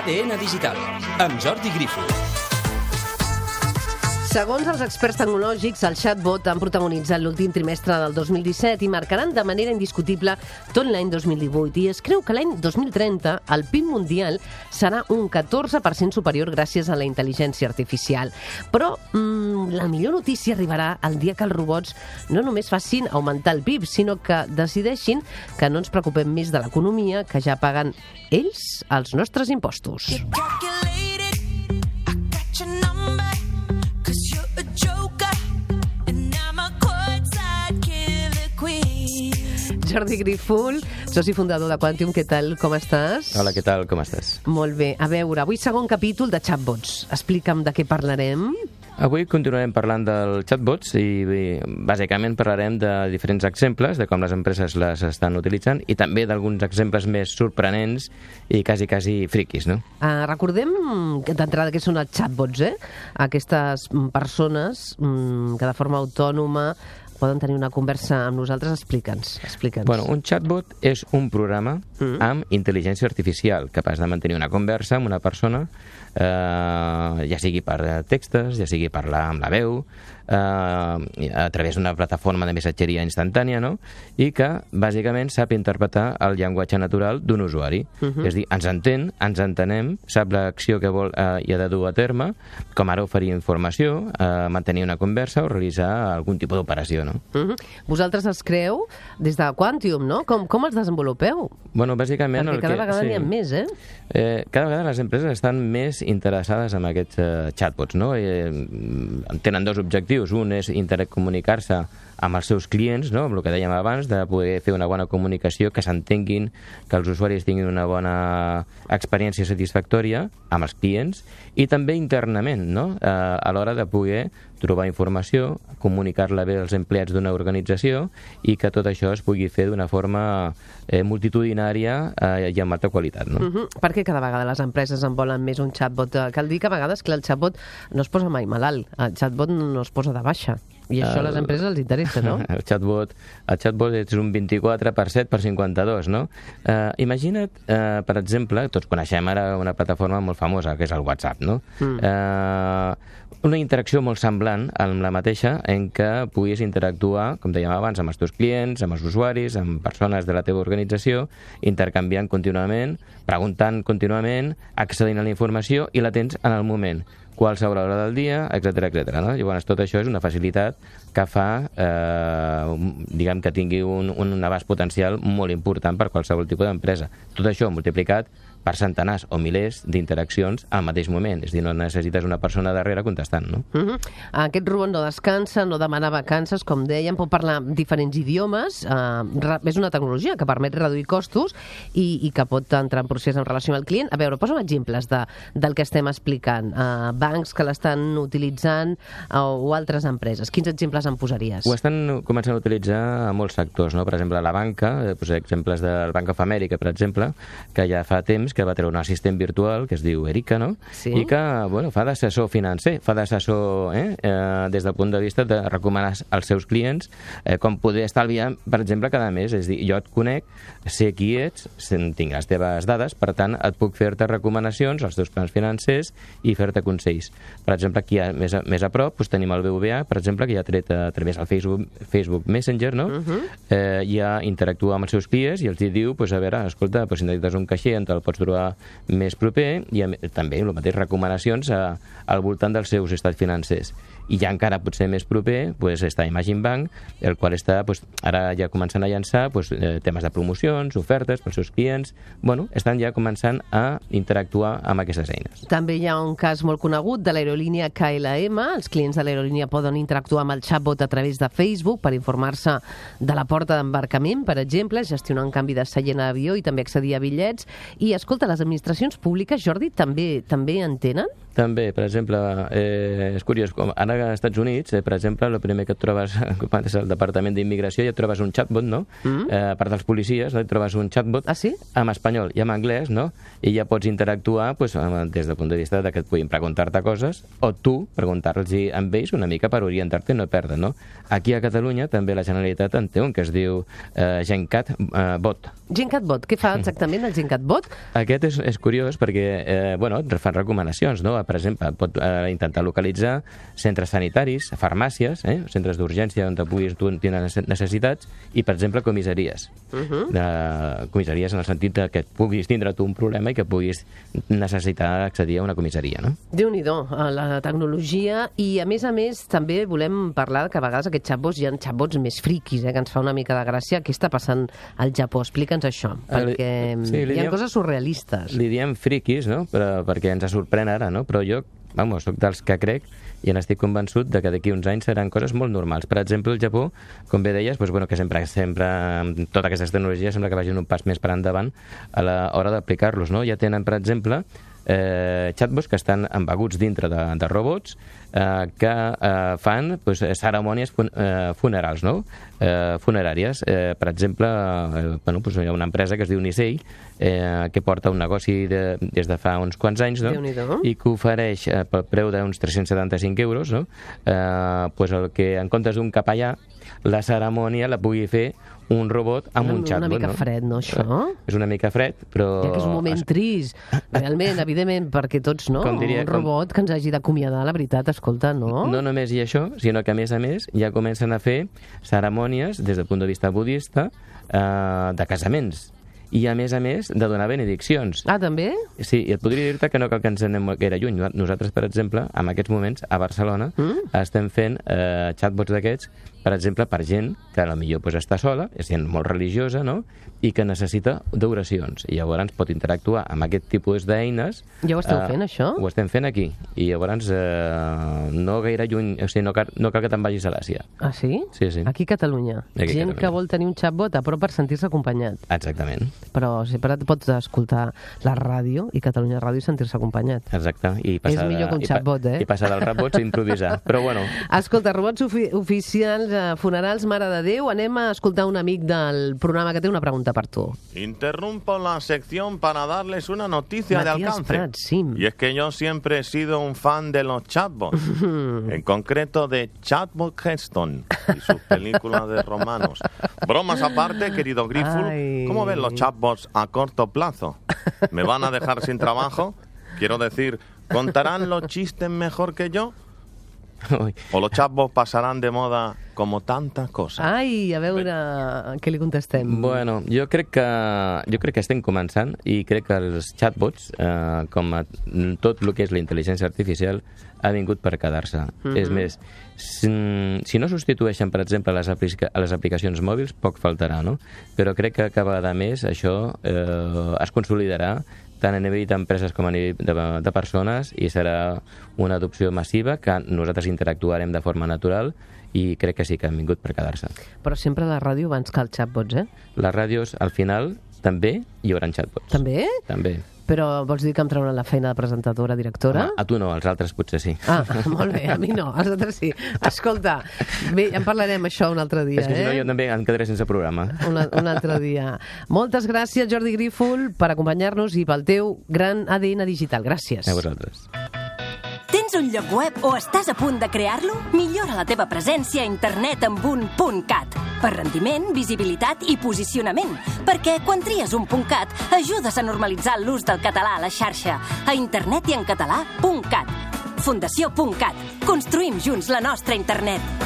ADN Digital, amb Jordi Grifo. Segons els experts tecnològics, el chatbot han protagonitzat l'últim trimestre del 2017 i marcaran de manera indiscutible tot l'any 2018. I es creu que l'any 2030 el PIB mundial serà un 14% superior gràcies a la intel·ligència artificial. Però la millor notícia arribarà el dia que els robots no només facin augmentar el PIB, sinó que decideixin que no ens preocupem més de l'economia, que ja paguen ells els nostres impostos. Jordi Grifol, soci fundador de Quantium, què tal, com estàs? Hola, què tal, com estàs? Molt bé. A veure, avui segon capítol de chatbots. Explica'm de què parlarem. Avui continuarem parlant del chatbots i bàsicament parlarem de diferents exemples, de com les empreses les estan utilitzant i també d'alguns exemples més sorprenents i quasi friquis, no? Recordem d'entrada què són els chatbots, Aquestes persones que de forma autònoma poden tenir una conversa amb nosaltres. Explica'ns. Bueno, un chatbot és un programa amb intel·ligència artificial, capaç de mantenir una conversa amb una persona, ja sigui per textos, ja sigui parlar amb la veu, a través d'una plataforma de missatgeria instantània, no? I que, bàsicament, sap interpretar el llenguatge natural d'un usuari. És a dir, ens entén, ens entenem, sap l'acció que vol i ha de dur a terme, com ara oferir informació, mantenir una conversa o realitzar algun tipus d'operació, no? Vosaltres els creeu des de Quantium, no? Com els desenvolupeu? Bueno, bàsicament... Perquè cada vegada n'hi ha més, cada vegada les empreses estan més interessades en aquests chatbots, no? Tenen dos objectius. Un és intercomunicar-se amb els seus clients, no? Amb el que dèiem abans, de poder fer una bona comunicació, que s'entenguin, que els usuaris tinguin una bona experiència satisfactòria amb els clients, i també internament, no? A l'hora de poder trobar informació, comunicar-la bé als empleats d'una organització i que tot això es pugui fer d'una forma multitudinària i amb alta qualitat, no? Perquè cada vegada les empreses en volen més un chatbot. Cal dir que a vegades que el chatbot no es posa mai malalt, el chatbot no es posa de baixa. I això a les empreses els interessa, no? El chatbot és un 24 per 7 per 52, no? Imagina't, per exemple, tots coneixem ara una plataforma molt famosa, que és el WhatsApp, no? Una interacció molt semblant amb la mateixa en què puguis interactuar, com dèiem abans, amb els teus clients, amb els usuaris, amb persones de la teva organització, intercanviant contínuament, preguntant contínuament, accedint a la informació i la tens en el moment, qualsevol hora del dia, etc. No? Llavors, tot això és una facilitat que fa, diguem, que tingui un abast potencial molt important per qualsevol tipus d'empresa. Tot això multiplicat per centenars o milers d'interaccions al mateix moment. És a dir, no necessites una persona darrere contestant, no? Aquest robot no descansa, no demana vacances, com dèiem, pot parlar diferents idiomes, és una tecnologia que permet reduir costos i que pot entrar en procés en relació amb el client. A veure, posa'm exemples del que estem explicant. Bancs que l'estan utilitzant o altres empreses. Quins exemples em posaries? Ho estan començant a utilitzar a molts sectors, no? Per exemple, la banca, exemples del Bank of America, per exemple, que ja fa temps que va treure un assistent virtual que es diu Erica, no? Sí. I que, bueno, fa d'assessor financer, fa d'assessor des del punt de vista de recomanar als seus clients com poder estalviar, per exemple, cada mes. És a dir, jo et conec, sé qui ets, tinc les teves dades, per tant, et puc fer-te recomanacions als teus plans financers i fer-te consells. Per exemple, aquí més a prop tenim el BBVA, per exemple, que ja ha tret a través del Facebook Messenger, no? Ja interactua amb els seus clients i els diu, a veure, escolta, si necessites un caixer on te'l pots trobar més proper, i també el mateix recomanacions al voltant dels seus estats financers. I ja encara potser més proper està Imagine Bank, el qual està ara ja començant a llançar temes de promocions, ofertes pels seus clients. Bueno, estan ja començant a interactuar amb aquestes eines. També hi ha un cas molt conegut de l'aerolínia KLM. Els clients de l'aerolínia poden interactuar amb el chatbot a través de Facebook per informar-se de la porta d'embarcament, per exemple, gestionar un canvi de seient a l'avió i també accedir a bitllets. I, escolta, les administracions públiques, Jordi, també en tenen? També, per exemple, és curiós, com ara als Estats Units, per exemple, el primer que et trobes quan és el Departament d'Immigració, ja et trobes un chatbot, no? A part dels policies, et trobes un chatbot en espanyol i en anglès, no? I ja pots interactuar des del punt de vista que et puguin preguntar-te coses o tu preguntar-los amb ells una mica per orientar-te i no perdre, no? Aquí a Catalunya també la Generalitat en té un que es diu GenCat Bot. Què fa exactament el GenCat Bot? Aquest és curiós perquè et fan recomanacions, no? Per exemple, pot intentar localitzar centres sanitaris, farmàcies, centres d'urgència on puguis tenir necessitats i, per exemple, comissaries. Comissaries en el sentit que puguis tindre tu un problema i que puguis necessitar accedir a una comissaria, no? Déu-n'hi-do, la tecnologia, i a més, també volem parlar que a vegades aquests xatbots hi ha xatbots més friquis, que ens fa una mica de gràcia. Què està passant al Japó? Explica'ns això, perquè hi ha coses surrealistes. Li diem friquis, no? Perquè ens sorprèn ara, no? Però jo, soc dels que crec i n'estic convençut de que d'aquí uns anys seran coses molt normals. Per exemple, el Japó, com bé deies, que sempre amb totes aquestes tecnologies sembla que vagin un pas més per endavant a l'hora d'aplicar-los, no? Ja tenen, per exemple, chatbots que estan embeguts dintre de robots que fan cerimònies funerals, no? Funeràries. Per exemple, hi ha una empresa que es diu Nisei que porta un negoci des de fa uns quants anys, no? I que ofereix pel preu d'uns 375 euros, no? El que en comptes d'un capellà la cerimònia la pugui fer un robot amb un chatbot. Una mica fred, no, això? És una mica fred, però... Ja que és un moment trist, realment, evidentment, perquè tots, no? Un robot que ens hagi d'acomiadar, la veritat, escolta, no? No només hi ha això, sinó que, a més, ja comencen a fer cerimònies, des del punt de vista budista, de casaments. I, a més, de donar benediccions. Ah, també? Sí, i et podria dir-te que no cal que ens anem gaire lluny. Nosaltres, per exemple, en aquests moments, a Barcelona, estem fent chatbots d'aquests, per exemple, per gent que potser està sola, és gent molt religiosa, no?, i que necessita d'oracions. I llavors pot interactuar amb aquest tipus d'eines. Ja ho esteu fent, això? Ho estem fent aquí. I llavors no gaire lluny, o sigui, no cal que te'n vagis a l'Àsia. Ah, sí? Sí. Aquí a Catalunya. Gent que vol tenir un chatbot a prop per sentir-se acompanyat. Exactament. Però sempre pots escoltar la ràdio i Catalunya Ràdio i sentir-se acompanyat. Exacte. És millor que un chatbot, I passar dels robots a improvisar. Però bueno. Escolta, robots oficials, funerals, Mare de Déu, anem a escoltar un amic del programa que té una pregunta per tu. Interrumpo la sección para darles una noticia de alcance. Prats, sí. Y es que yo siempre he sido un fan de los chatbots, en concreto de Chatbot Heston y sus películas de romanos. Bromas aparte, querido Griful, ¿cómo ven los chatbots a corto plazo? ¿Me van a dejar sin trabajo? Quiero decir, ¿contarán los chistes mejor que yo? ¿O los chatbots pasarán de moda como tantas coses? Ai, a veure què li contestem. Bueno, jo crec que estem començant i crec que els chatbots, com tot el que és la intel·ligència artificial, ha vingut per quedar-se. És més, si no substitueixen, per exemple, les aplicacions mòbils, poc faltarà, no? Però crec que cada vegada més això es consolidarà tant a nivell d'empreses com a nivell de persones, i serà una adopció massiva que nosaltres interactuarem de forma natural, i crec que sí que han vingut per quedar-se. Però sempre la ràdio abans que els chatbots, eh? Les ràdios, al final, també hi haurà chatbots. També? També. Però vols dir que em trauran la feina de presentadora, directora? Home, a tu no, als altres potser sí. Ah, molt bé, a mi no, als altres sí. Escolta, bé, en parlarem això un altre dia, És que si no jo també em quedaré sense programa. Un altre dia. Moltes gràcies, Jordi Grífol, per acompanyar-nos i pel teu gran ADN digital. Gràcies. A vosaltres. Tens un lloc web o estàs a punt de crear-lo? Millora la teva presència a internet amb un .cat. Per rendiment, visibilitat i posicionament. Perquè quan tries un .cat, ajudes a normalitzar l'ús del català a la xarxa. A internet i en català, .cat. Fundació.cat. Construïm junts la nostra internet.